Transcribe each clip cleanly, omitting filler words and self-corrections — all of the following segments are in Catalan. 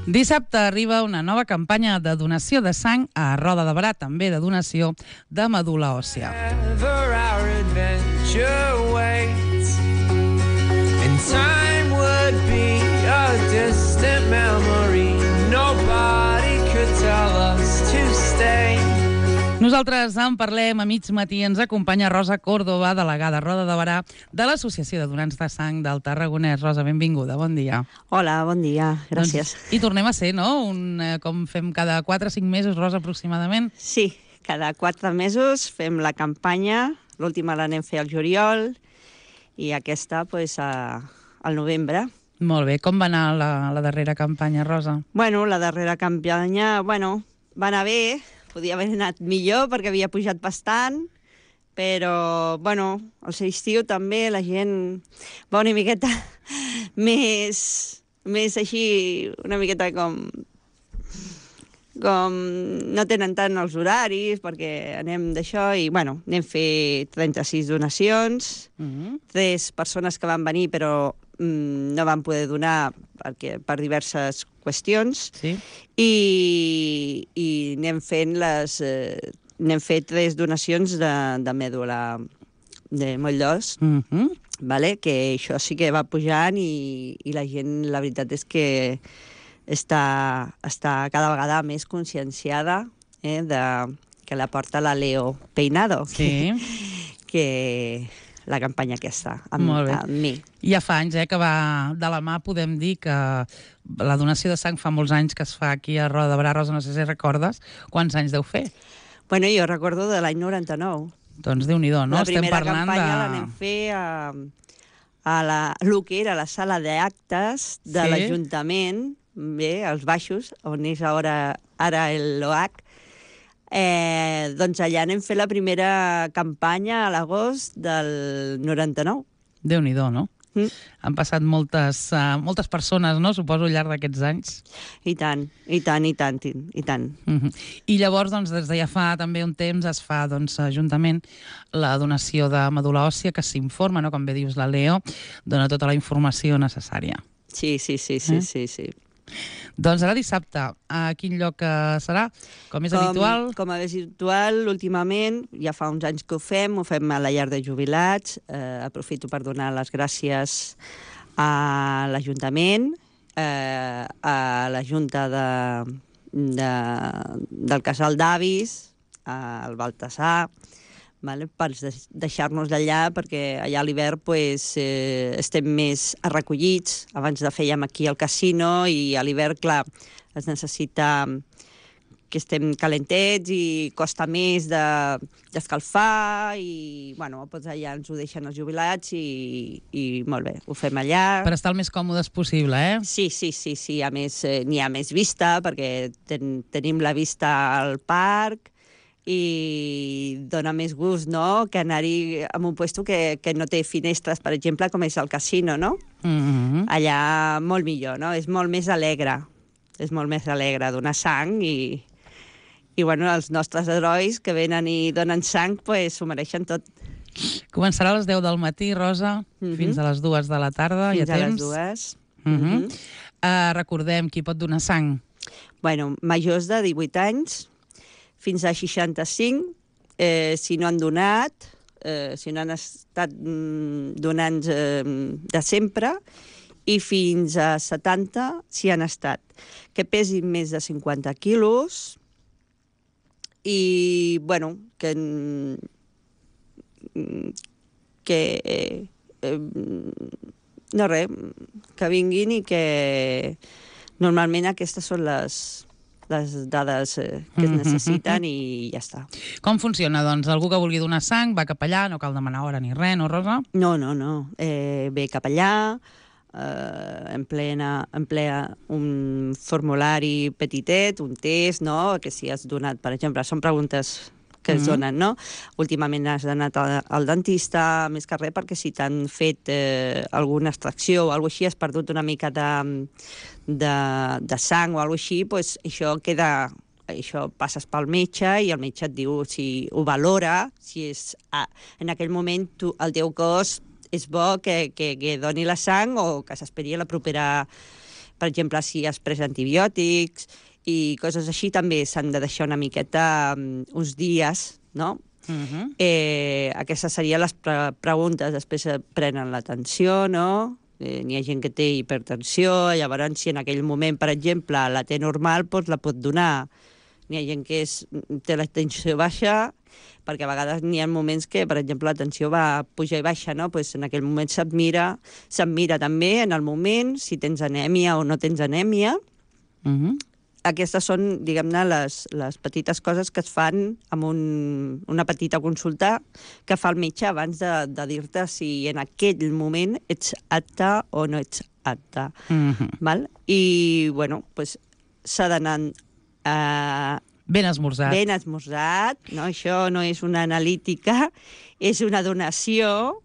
Dissabte arriba una nova campanya de donació de sang a Roda de Berà, també de donació de medul·la òssia. Nosaltres en parlem a mig matí. Ens acompanya Rosa Córdoba, delegada a Roda de Berà de l'Associació de Donants de Sang del Tarragonès. Rosa, benvinguda, bon dia. Hola, bon dia, gràcies. I tornem a ser, no? Com fem cada 4 o 5 mesos, Rosa, aproximadament? Sí, cada 4 mesos fem la campanya. L'última l'anem a fer al juliol i aquesta al novembre. Molt bé. Com va anar la darrera campanya, Rosa? Bueno, la darrera campanya, va anar bé. Podia haver anat millor perquè havia pujat bastant, però, al ser estiu també la gent va una miqueta més així, una miqueta com no tenen tant els horaris perquè anem d'això i, anem a fer 36 donacions, 3 persones que van venir però no van poder donar per diverses qüestions, sí. i anem fet 3 donacions de mèdula de moll d'os, que això sí que va pujant i la gent, la veritat és que està cada vegada més conscienciada que la porta la Leo Peinado, sí. que la campanya aquesta, amb mi. Ja fa anys que va de la mà, podem dir que la donació de sang fa molts anys que es fa aquí a Roda de Berà. Rosa, no sé si recordes quants anys deu fer. Bueno, jo recordo de l'any 99. Doncs Déu-n'hi-do, no? La primera campanya l'anem fer a lo que era la sala d'actes de l'Ajuntament, als baixos, on és ara l'OH. Doncs allà anem fer la primera campanya a l'agost del 99. Déu-n'hi-do, no? Han passat moltes persones, no?, suposo, al llarg d'aquests anys. I tant. I llavors, doncs, des de ja fa també un temps es fa, juntament, la donació de medul·la òssia, que s'informa, no?, com bé dius la Leo, dona tota la informació necessària. Sí. Doncs ara dissabte, a quin lloc serà? Com és habitual? Com és habitual, últimament, ja fa uns anys que ho fem a la llar de jubilats. Aprofito per donar les gràcies a l'Ajuntament, a la Junta del Casal d'Avis, al Baltasar, per deixar-nos d'allà, perquè allà a l'hivern estem més recollits. Abans de fèiem aquí al casino i a l'hivern, clar, es necessita que estem calentets i costa més d'escalfar i, doncs allà ens ho deixen els jubilats i molt bé, ho fem allà. Per estar el més còmodes possible, eh? Sí. A més, n'hi ha més vista, perquè tenim la vista al parc, i dona més gust, no?, que anar-hi a un lloc que no té finestres, per exemple, com és el casino, no? Allà molt millor, no? És molt més alegre. Donar sang i els nostres herois que venen i donen sang, s'ho mereixen tot. Començarà a les 10 del matí, Rosa, fins a les 2 de la tarda. Fins a les 2. Recordem qui pot donar sang. Majors de 18 anys, fins a 65, si no han donat, si no han estat donants de sempre, i fins a 70 si han estat. Que pesin més de 50 quilos i, que vinguin i que normalment aquestes són les dades que es necessiten i ja està. Com funciona, doncs? Algú que vulgui donar sang va cap allà, no cal demanar hora ni res, no, Rosa? No. Ve cap allà, emplea un formulari petitet, un test, no?, que si has donat, per exemple, són preguntes que es donen, no? Últimament has anat al dentista, més que res, perquè si t'han fet alguna extracció o alguna cosa així, has perdut una mica de sang o alguna cosa així, doncs això passes pel metge i el metge et diu si ho valora, si és en aquell moment el teu cos és bo que doni la sang o que s'esperi a la propera per exemple, si has pres antibiòtics i coses així, també s'han de deixar una miqueta uns dies, no? Aquestes serien les preguntes. Després prenen l'atenció, no? N'hi ha gent que té hipertensió, llavors si en aquell moment, per exemple, la té normal, doncs la pot donar. N'hi ha gent que té la tensió baixa, perquè a vegades n'hi ha moments que, per exemple, la tensió va pujar i baixa, no? Pues en aquell moment se't mira també en el moment si tens anèmia o no tens anèmia. Aquestes són, diguem-ne, les petites coses que es fan amb una petita consulta que fa el metge abans de dir-te si en aquell moment ets apte o no ets apte. Val? I, bueno, pues, s'ha d'anar ben esmorzat. Ben esmorzat, no? Això no és una analítica, és una donació.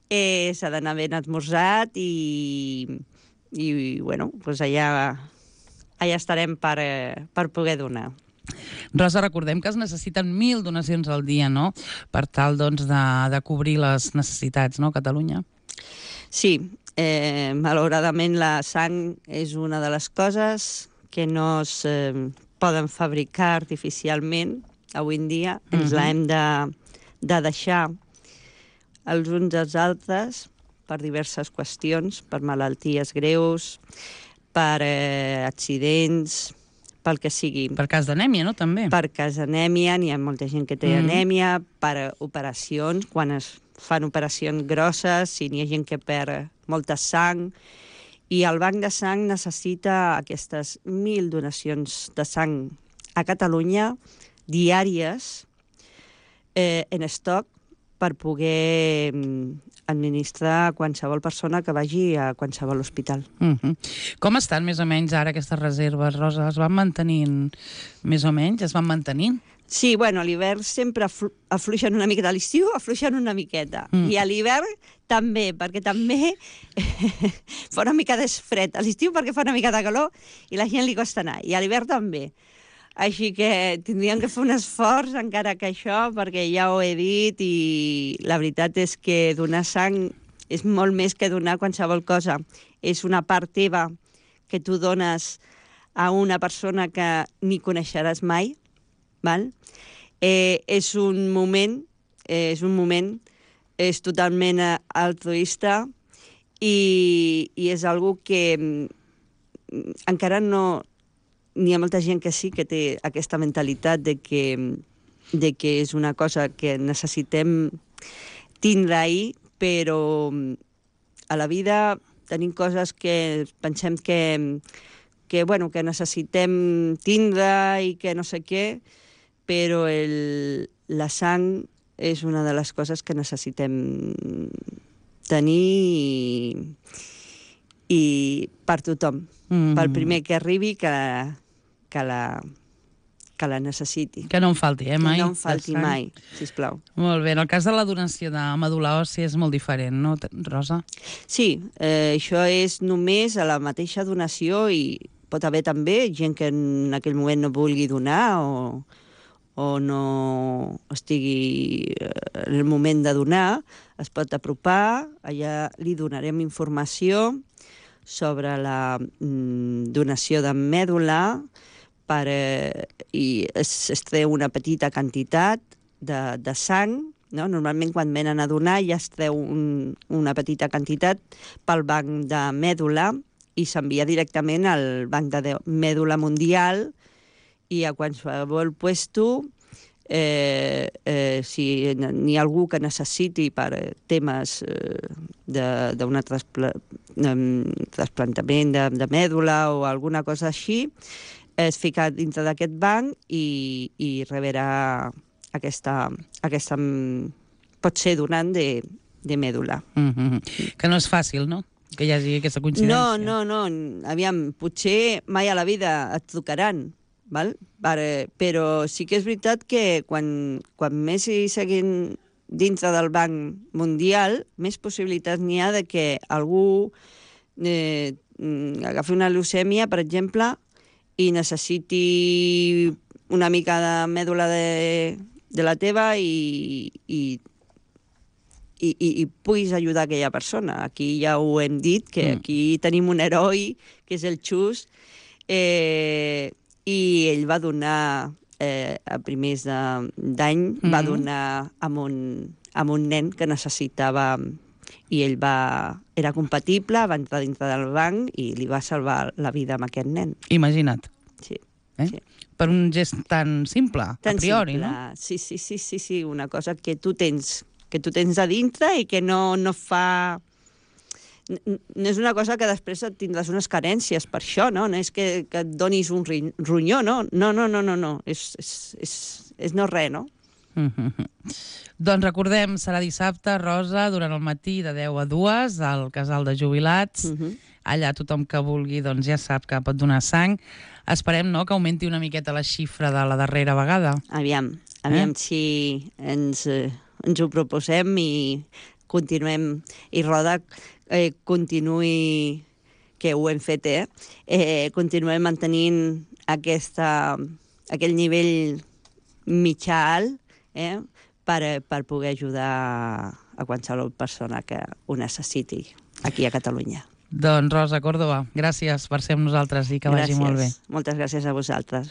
S'ha d'anar ben esmorzat i bueno, pues allà estarem per poder donar. Rosa, recordem que es necessiten 1.000 donacions al dia, no?, per tal, doncs, de cobrir les necessitats, no?, a Catalunya. Sí, malauradament la sang és una de les coses que no es poden fabricar artificialment avui en dia. Ens l'hem de deixar els uns als altres per diverses qüestions, per malalties greus, per accidents, pel que sigui. Per cas d'anèmia, no?, també. Per cas d'anèmia, n'hi ha molta gent que té anèmia, per operacions, quan es fan operacions grosses, si n'hi ha gent que perd molta sang, i el banc de sang necessita aquestes 1.000 donacions de sang a Catalunya diàries en estoc per poder administrar a qualsevol persona que vagi a qualsevol hospital. Com estan més o menys ara aquestes reserves, Rosa? Es van mantenint més o menys? Es van mantenint? Sí, bueno, a l'hivern sempre afluixen una miqueta. A l'estiu afluixen una miqueta. I a l'hivern també, perquè també fa una mica de fred. A l'estiu perquè fa una mica de calor i la gent li costa anar. I a l'hivern també. Així que tindríem que fer un esforç encara que això, perquè ja ho he dit i la veritat és que donar sang és molt més que donar qualsevol cosa. És una part teva que tu dones a una persona que ni coneixeràs mai, val? És un moment, és totalment altruista i és algo que encara no... N'hi ha molta gent que sí que té aquesta mentalitat de que és una cosa que necessitem tindre ahir, però a la vida tenim coses que pensem que necessitem tindre i que no sé què, però la sang és una de les coses que necessitem tenir i per tothom, pel primer que arribi que la necessiti. Que no en falti, mai? Que no en falti mai, sisplau. Molt bé. En el cas de la donació de medul·la òssia és molt diferent, no, Rosa? Sí, això és només a la mateixa donació i pot haver també gent que en aquell moment no vulgui donar o no estigui en el moment de donar, es pot apropar, allà li donarem informació sobre la donació de mèdula i es treu una petita quantitat de sang, no? Normalment quan venen a donar ja es treu una petita quantitat pel banc de mèdula i s'envia directament al banc de mèdula mundial i a qualsevol puesto, si n'hi ha algú que necessiti per temes d'un trasplantament de mèdula o alguna cosa així, es fica dintre d'aquest banc i rebrà aquesta pot ser donant de mèdula. Que no és fàcil, no?, que hi hagi aquesta coincidència. No. Aviam, potser mai a la vida et trucaran, val? Però sí que és veritat que quan més hi seguin dintre del Banc Mundial, més possibilitats n'hi ha de que algú agafi una leucèmia, per exemple, i necessiti una mica de mèdula de la teva i i puguis ajudar aquella persona. Aquí ja ho hem dit, que aquí tenim un heroi, que és el Xus, i ell va donar, a primers d'any, va donar amb un nen que necessitava, i ell era compatible, va entrar dintre del banc i li va salvar la vida amb aquest nen. Imagina't. Sí. Sí. Per un gest tan simple, a priori, no? Sí, una cosa que tu tens a dintre i que no fa... No és una cosa que després et tindràs unes carències per això, no? No és que et donis un ronyó, no? No. És no res, no? Doncs recordem, serà dissabte, Rosa, durant el matí de 10 a 2, al casal de jubilats. Allà tothom que vulgui doncs ja sap que pot donar sang. Esperem, no?, que augmenti una miqueta la xifra de la darrera vegada. Aviam si ens ho proposem i continuem, i Roda continuï, que ho hem fet, continuem mantenint aquell nivell mitjà alt, per poder ajudar a qualsevol persona que ho necessiti aquí a Catalunya. Doncs Rosa Córdoba, gràcies per ser amb nosaltres i que vagi molt bé. Moltes gràcies a vosaltres.